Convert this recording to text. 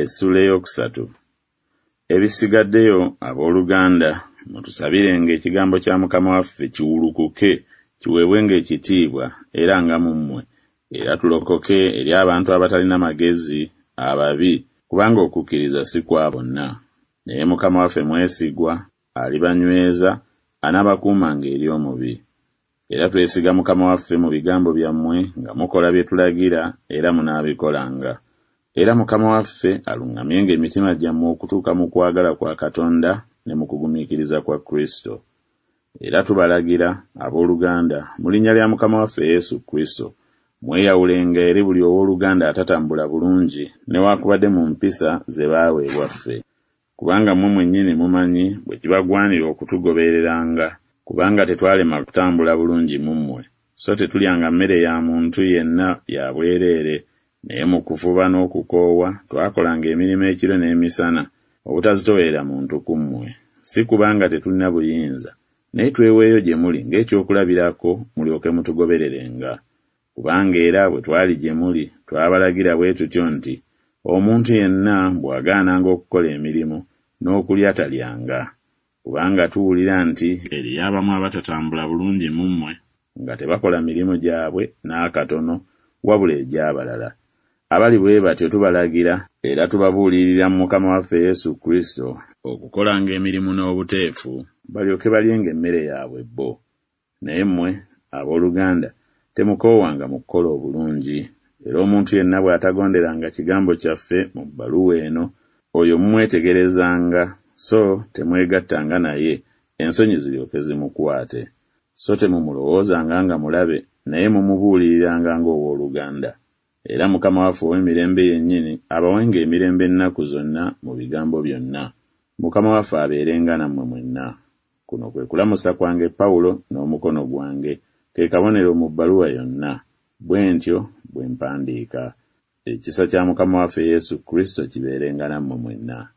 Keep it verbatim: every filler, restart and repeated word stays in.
Essuula ey'okusatu. Ebisigaddeyo, abooluganda, mutusabirenga ekigambo kya Mukama waffe kiwulukuke, kiweebwenga ekitiibwa era nga mu mmwe, era tulokoke eri abantu abatalina magezi, ababi, kubanga okukkiriza si kwa bonna. Naye Mukama waffe mwesigwa, alibanyweza, anaabakuumanga eri omubi. Era twesiga Mukama waffe mu bigambo byammwe nga mukola bye tulagira era munaabikolanga. Era Mukama waffe aluŋŋamyenga emitima gyammwe okutuuka mu kwagala kwa Katonda ne mu kugumiikiriza kwa Kristo. Era tubalagira, abooluganda, mu linnya lya Mukama waffe Yesu Kristo, mweyawulenga eri buli owooluganda atatambula bulungi newaakubadde mu mpisa ze baaweebwa ffe. Kubanga mmwe mwennyini mumanyi bwe kibagwanira okutugobereranga, kubanga tetwalema kutambula bulungi mu mmwe, so tetulyanga mmere ya muntu yenna ya bwereere, naye mu kufuba n'okukoowa twakolanga emirimu ekiro n'emisana, obutazitoowerera muntu ku mmwe. Si kubanga tetulina buyinza, naye tweweeyo gye muli ng'ekyokulabirako mulyoke mutugobererenga. Kubanga era bwe twali gye muli twabalagira bwe tutyo nti, Omuntu yenna bw'agaananga okukola emirimu, n'okulya talyanga. Kubanga tuwulira nti eriyo abamu abatatambula bulungi mu mmwe, nga tebakola mirimu gyabwe n'akatono, wabula egy'abalala. Abali bwe batyo tubalagira era tubabuulirira mu Mukama waffe Yesu Kristo, okukolanga emirimu n'obuteefu, balyoke balyenga emmere yaabwe bo. Naye mmwe, abooluganda, temukoowanga mu kukola obulungi. Era omuntu yenna bw'atagonderanga kigambo kyaffe mu bbaluwa eno, oyo mumwetegerezanga, so temwegattanga naye, ensonyi ziryoke zimukwate. So temumulowoozanga nga mulabe, naye mumubuuliriranga ng'owooluganda. Era Mukama waffe ow'emirembe yennyini abawenga emirembe ennaku zonna mu bigambo byonna. Mukama waffe abeerenga nammwe mwenna. Kuno kwe kulamusa kwange Pawulo n'omukono gwange, ke kabonero mu bbaluwa yonna. Bwe ntyo bwe mpandiika. Ekisa kya Mukama waffe Yesu Kristo kibeerenga nammwe mwenna.